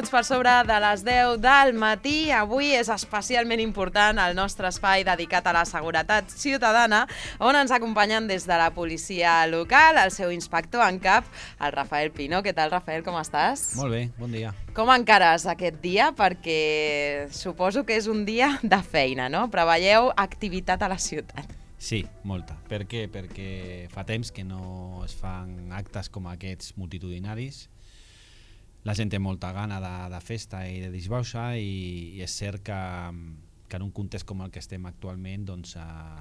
minuts per sobre de les 10 del matí. Avui és especialment important el nostre espai dedicat a la seguretat ciutadana, on ens acompanyen des de la policia local, el seu inspector en cap, el Rafael Pino. Què tal, Rafael, com estàs? Molt bé, bon dia. Com encares aquest dia? Perquè suposo que és un dia de feina, no? Preveieu activitat a la ciutat. Sí, molta. Per què? Perquè fa temps que no es fan actes com aquests multitudinaris. La gent té molta gana de festa i de disbauxa i és cert que en un context com el que estem actualment doncs,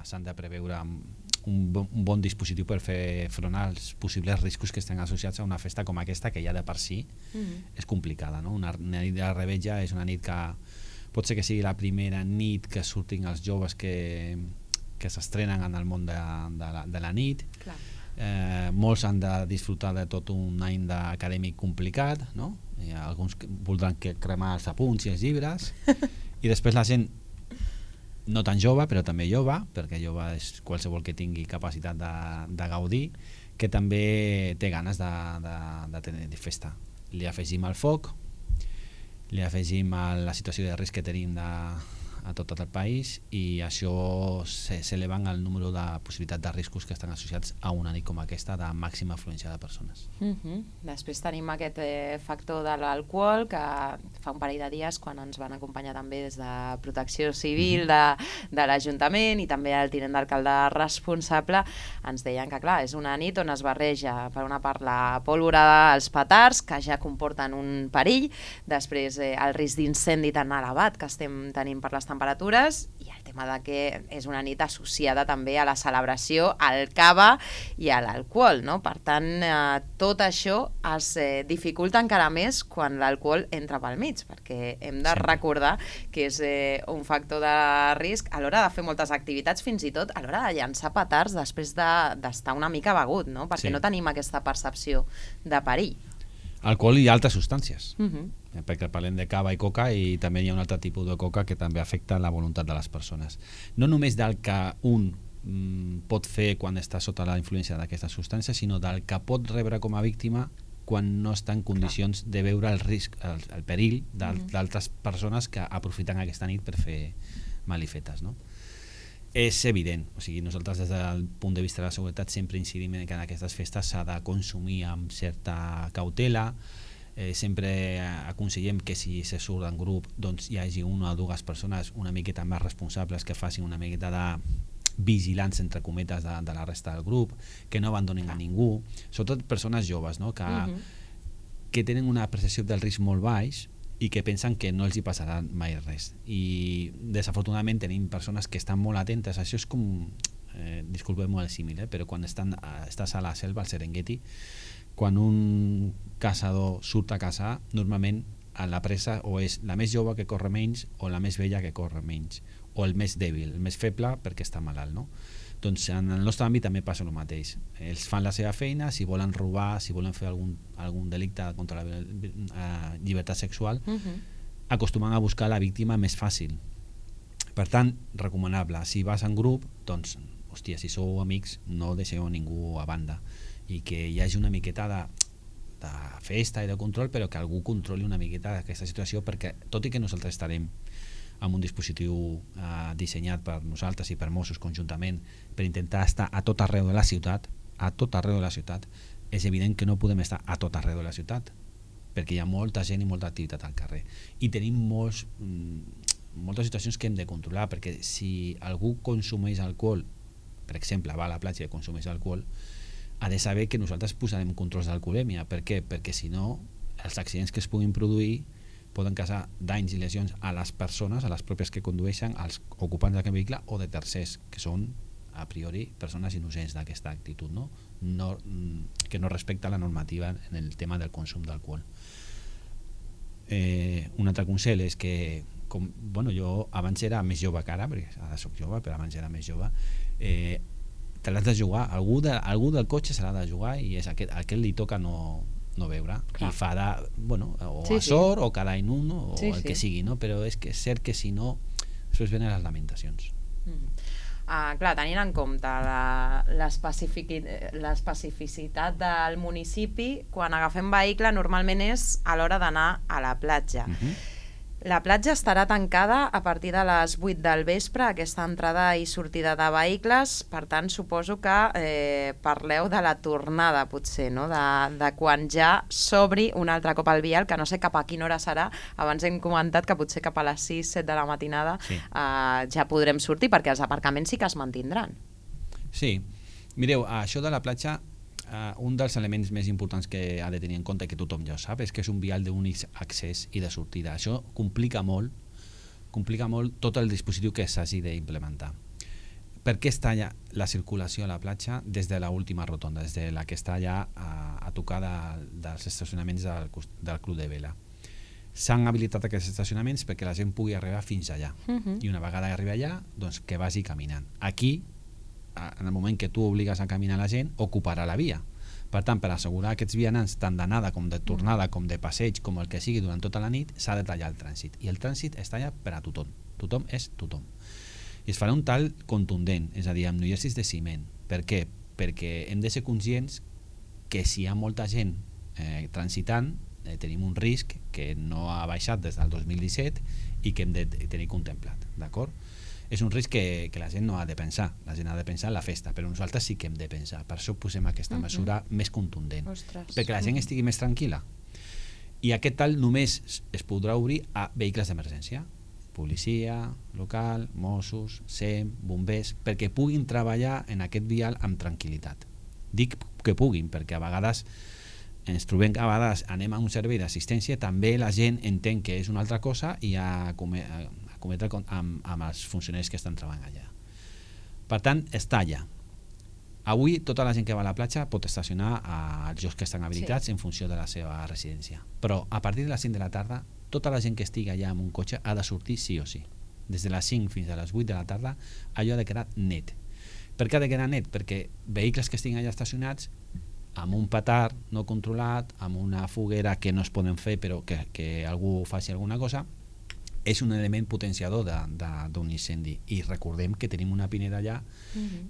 s'han de preveure un bon dispositiu per fer front als possibles riscos que estan associats a una festa com aquesta, que ja de per si és complicada, no? Una nit de revetlla és una nit que pot ser que sigui la primera nit que surtin els joves que s'estrenen en el món de la nit. Clar. Molts han de disfrutar de tot un any acadèmic complicat, no? Alguns voldran cremar els apunts i els llibres i després la gent no tan jove, però també jove, perquè jove és qualsevol que tingui capacitat de gaudir, que també té ganes de tenir festa. Li afegim el foc, li afegim la situació de risc que tenim a tot el país i això s'eleven el número de possibilitats de riscos que estan associats a una nit com aquesta de màxima afluència de persones. Després tenim aquest factor de l'alcohol que fa un parell de dies quan ens van acompanyar també des de Protecció Civil de l'Ajuntament i també el tinent d'alcalde responsable ens deien que clar, és una nit on es barreja per una part la pólvora dels petards que ja comporten un perill, després el risc d'incendi tan elevat que estem tenint per les temperatures i el tema de que és una nit associada també a la celebració, al cava i a l'alcohol, no? Per tant, tot això es dificulta encara més quan l'alcohol entra pel mig, perquè hem de recordar que és un factor de risc a l'hora de fer moltes activitats, fins i tot a l'hora de llançar petards després d'estar una mica begut, no? Perquè no tenim aquesta percepció de perill. Alcohol i altres substàncies, perquè parlem de cava i coca i també hi ha un altre tipus de coca que també afecta la voluntat de les persones. No només del que un pot fer quan està sota la influència d'aquestes substàncies, sinó del que pot rebre com a víctima quan no està en condicions de veure el risc, el perill d'altres persones que aprofiten aquesta nit per fer malifetes, no? És evident, o sigui, nosaltres des del punt de vista de la seguretat sempre incidim que en aquestes festes s'ha de consumir amb certa cautela, sempre aconsellem que si se surt en grup doncs hi hagi una o dues persones una miqueta més responsables que facin una miqueta de vigilants entre cometes de la resta del grup, que no abandonin a ningú, sobretot persones joves, no? que tenen una percepció del risc molt baix i que pensen que no els hi passarà mai res. I desafortunadament tenim persones que estan molt atentes. Això és com, disculpeu-me el símil, però quan estàs a la selva, al Serengeti, quan un caçador surt a caçar, normalment la presa o és la més jove que corre menys o la més vella que corre menys, o el més dèbil, el més feble perquè està malalt, no? Doncs en el nostre àmbit també passa el mateix. Ells fan la seva feina, si volen robar, si volen fer algun delicte contra la llibertat sexual, acostumen a buscar la víctima més fàcil. Per tant, recomanable, si vas en grup, doncs, hòstia, si sou amics, no deixeu ningú a banda i que hi hagi una miqueta de festa i de control, però que algú controli una miqueta aquesta situació, perquè tot i que nosaltres estarem amb un dispositiu dissenyat per nosaltres i per Mossos conjuntament per intentar estar a tot arreu de la ciutat, és evident que no podem estar a tot arreu de la ciutat perquè hi ha molta gent i molta activitat al carrer i tenim moltes situacions que hem de controlar, perquè si algú consumeix alcohol, per exemple va a la platja i consumeix alcohol, ha de saber que nosaltres posarem controls d'alcoholèmia. Per què? Perquè si no els accidents que es puguin produir poden causar danys i lesions a les persones, a les pròpies que condueixen, als ocupants d'aquest vehicle o de tercers, que són a priori persones innocents d'aquesta actitud, no? Que no respecta la normativa en el tema del consum d'alcohol. Un altre consell és que, jo abans era més jove que ara, perquè ara soc jove, però abans era més jove, te l'has de jugar, algú del cotxe se l'ha de jugar i és aquest li toca no veure. Clar. I fa a sort o cada any un o el que sigui, no? Però és que és cert que si no després venen les lamentacions. Clar, tenint en compte l'especificitat del municipi, quan agafem vehicle normalment és a l'hora d'anar a la platja. La platja estarà tancada a partir de les 8 del vespre, aquesta entrada i sortida de vehicles, per tant suposo que parleu de la tornada potser, no? De quan ja s'obri un altre cop el vial, que no sé cap a quina hora serà. Abans hem comentat que potser cap a les 6-7 de la matinada ja podrem sortir, perquè els aparcaments sí que es mantindran. Sí, mireu, això de la platja, un dels elements més importants que ha de tenir en compte, que tothom ja ho sap, és que és un vial d'únic accés i de sortida. Això complica molt tot el dispositiu que s'hagi d'implementar. Per què està ja la circulació a la platja des de l'última rotonda, des de la que està ja a tocar dels estacionaments del Club de Vela? S'han habilitat aquests estacionaments perquè la gent pugui arribar fins allà. I una vegada arriba allà, doncs que vagi caminant. Aquí, en el moment que tu obligues a caminar la gent, ocuparà la via. Per tant, per assegurar aquests vianants tant d'anada com de tornada, com de passeig, com el que sigui durant tota la nit, s'ha de tallar el trànsit. I el trànsit està allà per a tothom. Tothom és tothom. I es farà un tall contundent, és a dir, amb noiessis de ciment. Per què? Perquè hem de ser conscients que si hi ha molta gent transitant, tenim un risc que no ha baixat des del 2017 i que hem de tenir contemplat, d'acord? És un risc que la gent no ha de pensar, la gent ha de pensar en la festa, però nosaltres sí que hem de pensar, per això posem aquesta mesura més contundent. Ostres. Perquè la gent estigui més tranquil·la. I aquest tall només es podrà obrir a vehicles d'emergència, policia local, Mossos, SEM, bombers, perquè puguin treballar en aquest vial amb tranquil·litat. Dic que puguin, perquè a vegades ens trobem que a vegades anem a un servei d'assistència, també la gent entén que és una altra cosa i a cometre amb els funcionaris que estan treballant allà. Per tant, està allà. Avui tota la gent que va a la platja pot estacionar als llocs que estan habilitats en funció de la seva residència. Però a partir de les 5 de la tarda, tota la gent que estigui allà amb un cotxe ha de sortir sí o sí. Des de les 5 fins a les 8 de la tarda, allò ha de quedar net. Per què ha de quedar net? Perquè vehicles que estiguin allà estacionats amb un petard no controlat, amb una foguera que no es poden fer però que algú faci alguna cosa, és un element potenciador d'un incendi. I recordem que tenim una pineda allà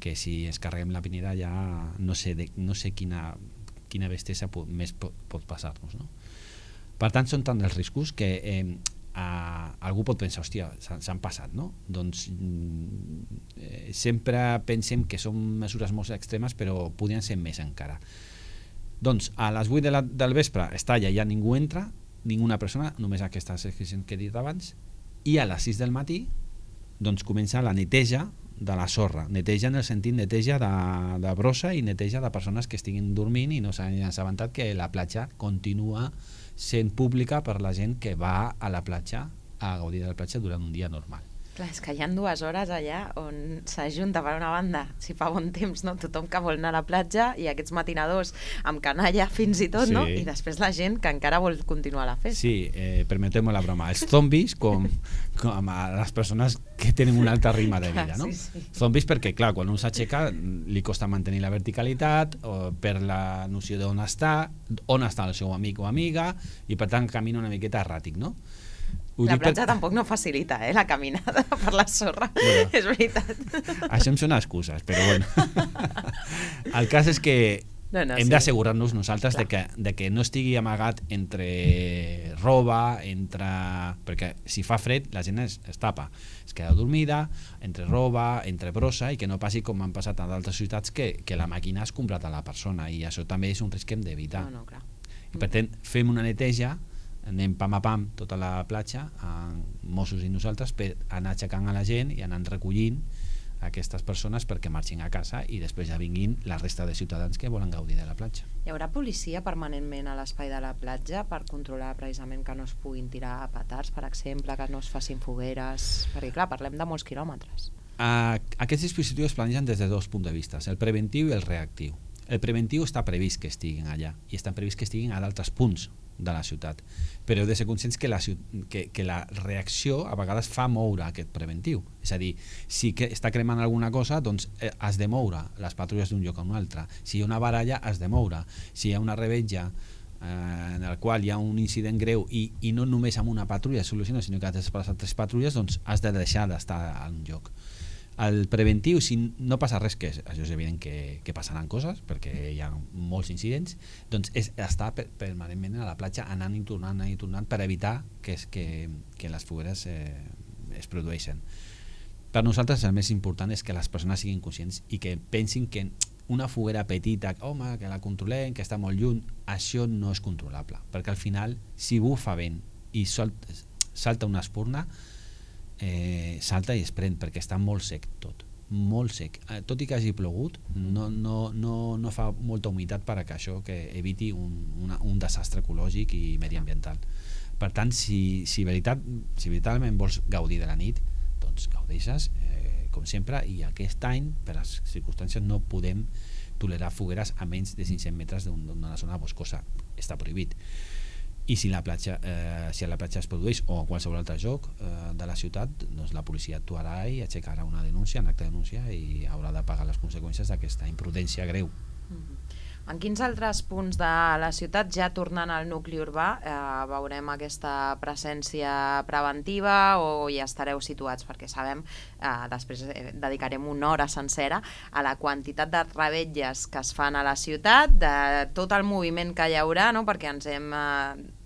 que si ens carreguem la pineda ja no sé quina bestiesa més pot passar-nos, no? Per tant, són tant els riscos que algú pot pensar, hòstia, s'han passat, no? Doncs sempre pensem que són mesures molt extremes, però podrien ser més encara. Doncs a les 8 del vespre està allà, ja ningú entra, ninguna persona, només aquestes excepcions que he dit abans, i a les 6 del matí doncs comença la neteja de la sorra, neteja en el sentit neteja de brossa i neteja de persones que estiguin dormint i no s'han assabentat que la platja continua sent pública per la gent que va a la platja a gaudir de la platja durant un dia normal. Clar, és que hi ha 2 hores allà on s'ajunta per una banda, si fa bon temps, no? Tothom que vol anar a la platja i aquests matinadors amb canalla fins i tot, no? I després la gent que encara vol continuar la festa. Sí, permetem la broma. Els zombis com a les persones que tenen un altre ritme de vida, no? Sí. Zombis perquè, clar, quan un s'aixeca li costa mantenir la verticalitat, per la noció d'on està el seu amic o amiga, i per tant camina una miqueta erràtic, no? La platja tampoc no facilita, la caminada per la sorra, bueno, és veritat. Això em sona excuses, però bueno. El cas és que hem d'assegurar-nos nosaltres de que no estigui amagat entre roba, perquè si fa fred la gent es tapa, es queda dormida, entre roba, entre brossa, i que no passi com han passat a d'altres ciutats que la màquina has comprat a la persona, i això també és un risc que hem d'evitar. Clar. I per tant, fem una neteja, anem pam a pam tota la platja, Mossos i nosaltres, per anar aixecant a la gent i anar recollint aquestes persones perquè marxin a casa i després ja vinguin la resta de ciutadans que volen gaudir de la platja. Hi haurà policia permanentment a l'espai de la platja per controlar precisament que no es puguin tirar petards, per exemple, que no es facin fogueres, perquè clar, parlem de molts quilòmetres. Aquests dispositius es planegen des de 2 punts de vista, el preventiu i el reactiu. El preventiu està previst que estiguin allà i està previst que estiguin a d'altres punts de la ciutat, però heu de ser conscients que la reacció a vegades fa moure aquest preventiu, és a dir, si està cremant alguna cosa, doncs has de moure les patrulles d'un lloc a un altre, si hi ha una baralla has de moure, si hi ha una revetlla en el qual hi ha un incident greu i no només amb una patrulla soluciona, sinó que has de desplaçar 3 patrulles, doncs has de deixar d'estar en un lloc. El preventiu, si no passa res, que això és evident que passaran coses, perquè hi ha molts incidents, doncs és estar permanentment a la platja anant i tornant per evitar que les fogueres es produeixen. Per nosaltres el més important és que les persones siguin conscients i que pensin que una foguera petita, home, que la controlem, que està molt lluny, això no és controlable, perquè al final, si bufa vent i salta una espurna, salta i es pren, perquè està molt sec tot, molt sec. Tot i que hagi plogut, no fa molta humitat per a que això eviti un desastre ecològic i mediambiental. Per tant, si veritablement vols gaudir de la nit, doncs gaudeixes com sempre, i aquest any per les circumstàncies no podem tolerar fogueres a menys de 500 metres d'una zona boscosa, està prohibit. I si a la platja es produeix o a qualsevol altre lloc de la ciutat, doncs la policia actuarà i aixecarà una denúncia, un acte de denúncia, i haurà de pagar les conseqüències d'aquesta imprudència greu. En quins altres punts de la ciutat, ja tornant al nucli urbà, veurem aquesta presència preventiva o ja estareu situats? Perquè sabem, després dedicarem una hora sencera a la quantitat de revetlles que es fan a la ciutat, de tot el moviment que hi haurà, no? Perquè ens hem...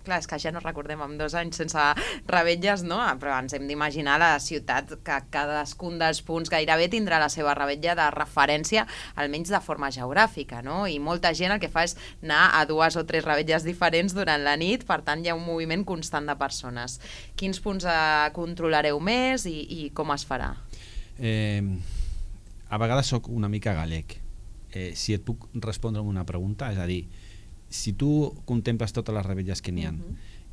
Clar, és que ja no recordem amb 2 anys sense revetlles, no? Però ens hem d'imaginar la ciutat que cadascun dels punts gairebé tindrà la seva revetlla de referència, almenys de forma geogràfica, no? I molta gent el que fa és anar a 2 o 3 revetlles diferents durant la nit, per tant hi ha un moviment constant de persones. Quins punts controlareu més i com es farà? A vegades sóc una mica gallec. Si et puc respondre amb una pregunta, és a dir, si tu contemples totes les revetlles que n'hi ha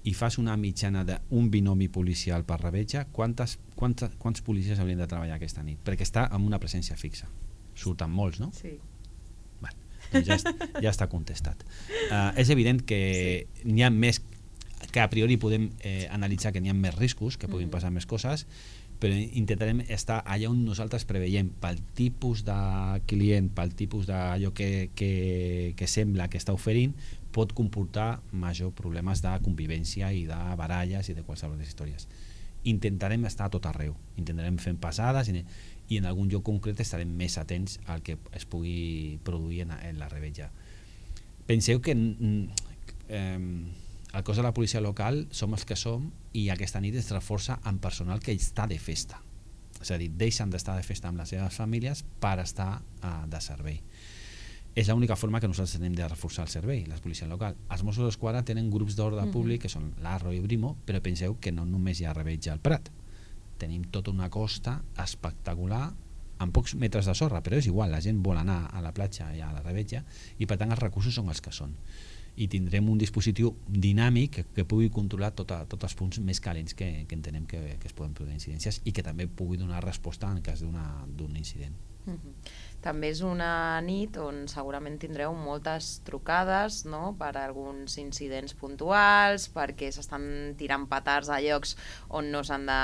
i fas una mitjana d'un binomi policial per revetlla, quants policies haurien de treballar aquesta nit? Perquè està amb una presència fixa. Surten molts, no? Sí. Bé, doncs ja està contestat. És evident que n'hi ha més, que a priori podem analitzar que n'hi ha més riscos, que puguin passar més coses, però intentarem estar allà on nosaltres preveiem pel tipus de client, pel tipus d'allò que sembla que està oferint, pot comportar major problemes de convivència i de baralles i de qualsevol de històries. Intentarem estar a tot arreu, intentarem fer passades i en algun lloc concret estarem més atents al que es pugui produir en la revetlla. Penseu que el cos de la policia local som els que som i aquesta nit es reforça amb personal que està de festa. És a dir, deixen d'estar de festa amb les seves famílies per estar de servei. És l'única forma que nosaltres tenim de reforçar el servei, la policia local. Els Mossos d'Esquadra tenen grups d'ordre públic que són l'Arro i Brimo, però penseu que no només hi ha revetja al Prat. Tenim tota una costa espectacular amb pocs metres de sorra, però és igual, la gent vol anar a la platja i a la revetja i per tant els recursos són els que són. I tindrem un dispositiu dinàmic que pugui controlar tots els punts més calents que entenem que es poden produir incidències i que també pugui donar resposta en cas d'un incident. També és una nit on segurament tindreu moltes trucades, no?, per alguns incidents puntuals, perquè s'estan tirant petards a llocs on no s'han de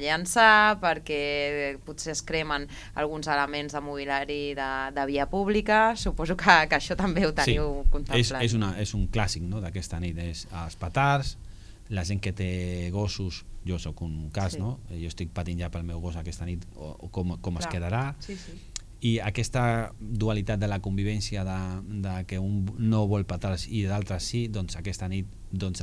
llançar, perquè potser es cremen alguns elements de mobiliari de via pública. Suposo que això també ho teniu contemplat. És un clàssic, no?, d'aquesta nit, és els petards, la gent que té gossos, jo sóc un cas, no? Jo estic patint ja pel meu gos aquesta nit o com es quedarà. I aquesta dualitat de la convivència de que un no vol petards i d'altres sí, doncs aquesta nit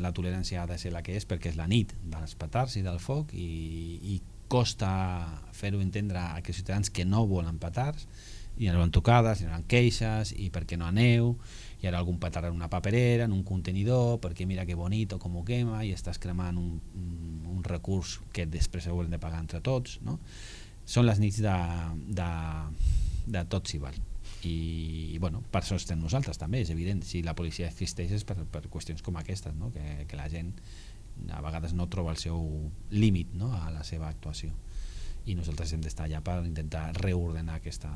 la tolerància ha de ser la que és, perquè és la nit dels petards i del foc i costa fer-ho entendre a aquells ciutadans que no volen petards, i hi haurà tocades, hi haurà queixes, i per què no aneu, hi haurà algun petard en una paperera, en un contenidor, perquè mira que bonito com ho quema, i estàs cremant un recurs que després haurem de pagar entre tots, no? Són les nits de tot s'hi val. I bueno, per això estem nosaltres també, és evident. Si la policia existeix és per qüestions com aquestes, no? Que la gent a vegades no troba el seu límit, no?, a la seva actuació, i nosaltres hem d'estar allà per intentar reordenar aquesta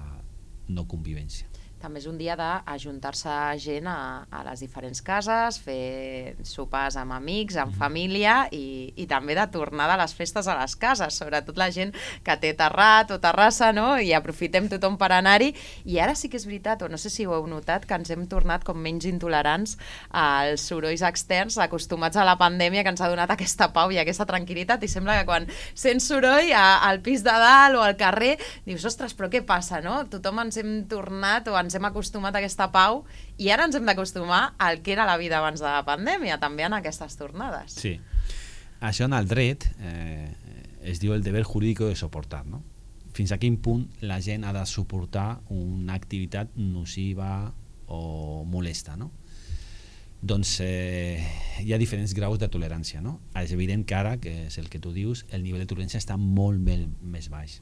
no convivència. També és un dia d'ajuntar-se gent a les diferents cases, fer sopars amb amics, amb família i també de tornar de les festes a les cases, sobretot la gent que té terrat o terrassa, no? I aprofitem tothom per anar-hi. I ara sí que és veritat, o no sé si ho heu notat, que ens hem tornat com menys intolerants als sorolls externs, acostumats a la pandèmia, que ens ha donat aquesta pau i aquesta tranquil·litat, i sembla que quan sents soroll al pis de dalt o al carrer, dius, ostres, però què passa, no? Tothom ens hem tornat o ens hem acostumat a aquesta pau i ara ens hem d'acostumar al que era la vida abans de la pandèmia, també en aquestes tornades. Sí. Això en el dret es diu el deber jurídico de soportar, no? Fins a quin punt la gent ha de suportar una activitat nociva o molesta, no? Doncs hi ha diferents graus de tolerància, no? És evident que ara, que és el que tu dius, el nivell de tolerància està molt més baix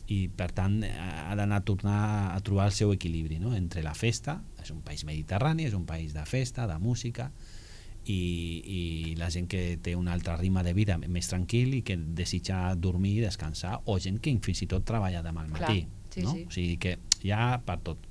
i per tant ha d'anar a tornar a trobar el seu equilibri, no? Entre la festa, és un país mediterrani, és un país de festa, de música, i la gent que té un altre ritme de vida més tranquil i que desitja dormir, descansar, o gent que fins i tot treballa demà al matí. Clar, sí, no? sí. O sigui que hi ha per tot.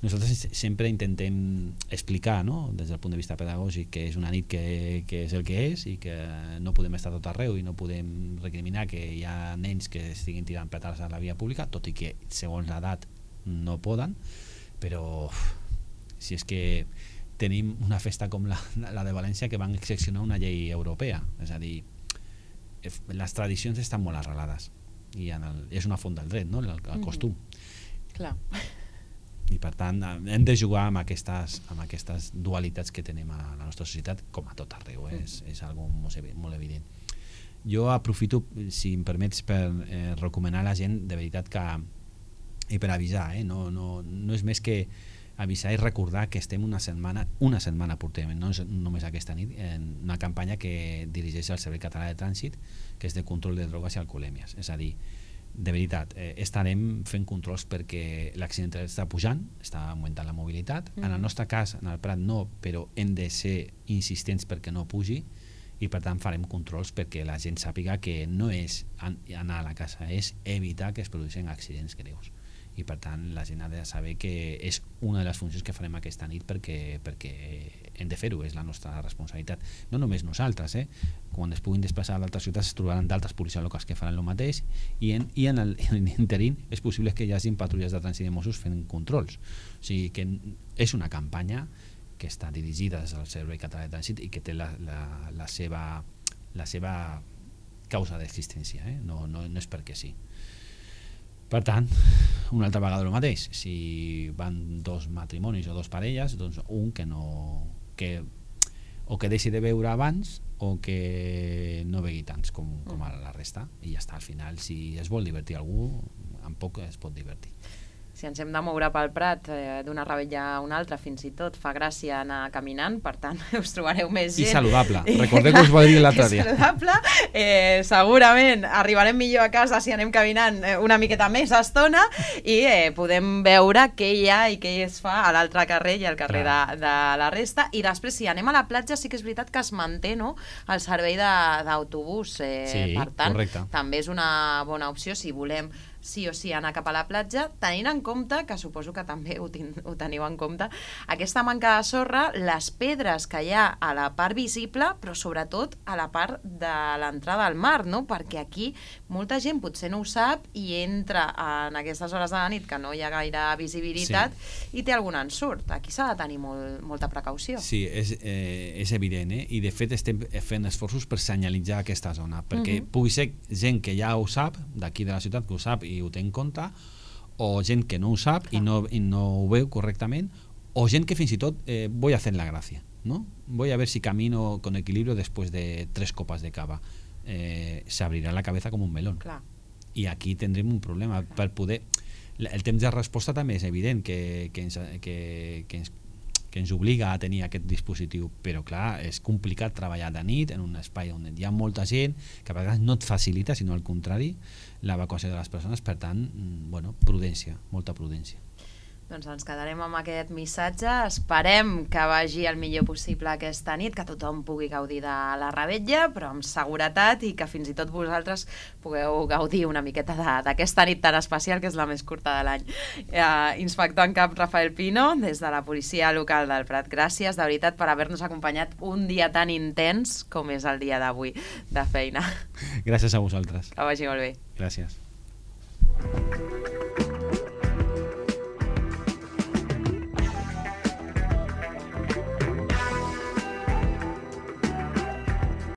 Nosaltres sempre intentem explicar, no? Des del punt de vista pedagògic, que és una nit que és el que és i que no podem estar tot arreu i no podem recriminar que hi ha nens que estiguin tirant petards a la via pública, tot i que segons l'edat no poden, però si és que tenim una festa com la de València que van excepcionar una llei europea, és a dir, les tradicions estan molt arrelades i és una font del dret, no? El costum. Clar. I per tant hem de jugar amb aquestes dualitats que tenim a la nostra societat, com a tot arreu, és algo molt evident. Jo aprofito, si em permets, per recomanar a la gent de veritat que, i per avisar, no és més que avisar i recordar que estem una setmana portem, no és només aquesta nit, en una campanya que dirigeix el Servei Català de Trànsit, que és de control de drogues i alcoholèmies. És a dir, de veritat, estarem fent controls perquè l'accidentalitat està pujant, està augmentant la mobilitat. En el nostre cas, en el Prat no, però hem de ser insistents perquè no pugi, i per tant farem controls perquè la gent sàpiga que no és anar a la casa, és evitar que es produeixin accidents greus. I per tant la gent ha de saber que és una de les funcions que farem aquesta nit perquè hem de fer-ho, és la nostra responsabilitat. No només nosaltres, quan es puguin desplaçar a d'altres ciutats es trobaran d'altres policies locals que faran el mateix i en l'interín és possible que hi hagi patrulles de trànsit de Mossos fent controls. O sigui que és una campanya que està dirigida des del Servei Català de Trànsit i que té la seva causa d'existència, no és perquè sí. Per tant, una altra vegada el mateix, si van dos matrimonis o dos parelles, doncs un que deixi de beure abans o que no begui tants com a la resta, i ja està. Al final, si es vol divertir algú, amb poc es pot divertir. Si ens hem de moure pel Prat d'una rebella a una altra, fins i tot fa gràcia anar caminant, per tant us trobareu més gent. I saludable, recordeu que us ho va dir l'altre dia. Saludable, segurament arribarem millor a casa si anem caminant una miqueta més estona i podem veure què hi ha i què es fa a l'altre carrer i al carrer de la resta. I després, si anem a la platja, sí que és veritat que es manté, no?, el servei d'autobús. Sí, per tant, correcte. també és una bona opció si volem sí o sí anar cap a la platja, tenint en compte, que suposo que també ho teniu en compte, aquesta manca de sorra, les pedres que hi ha a la part visible, però sobretot a la part de l'entrada al mar, no? Perquè aquí molta gent potser no ho sap i entra en aquestes hores de la nit que no hi ha gaire visibilitat i té algun ensurt. Aquí s'ha de tenir molta precaució. Sí, és evident, i de fet estem fent esforços per senyalitzar aquesta zona, perquè pugui ser gent que ja ho sap, d'aquí de la ciutat que ho sap i ho té en compte, o gent que no ho sap i no ho veu correctament, o gent que fins i tot voy a hacer la gracia, ¿no? Voy a ver si camino con equilibrio después de 3 copas de cava. Se abrirá la cabeza como un melón. Clar. I aquí tindrem un problema. Per poder... El temps de resposta també és evident que ens obliga a tenir aquest dispositiu, però clar, és complicat treballar de nit en un espai on hi ha molta gent, que a vegades no et facilita, sinó al contrari, l'evacuació de les persones. Per tant, prudència, molta prudència. Doncs ens quedarem amb aquest missatge. Esperem que vagi el millor possible aquesta nit, que tothom pugui gaudir de la revetlla, però amb seguretat, i que fins i tot vosaltres pugueu gaudir una miqueta d'aquesta nit tan especial, que és la més curta de l'any. Inspector en cap Rafael Pino, des de la policia local del Prat, gràcies de veritat per haver-nos acompanyat un dia tan intens com és el dia d'avui de feina. Gràcies a vosaltres. Que vagi molt bé. Gràcies.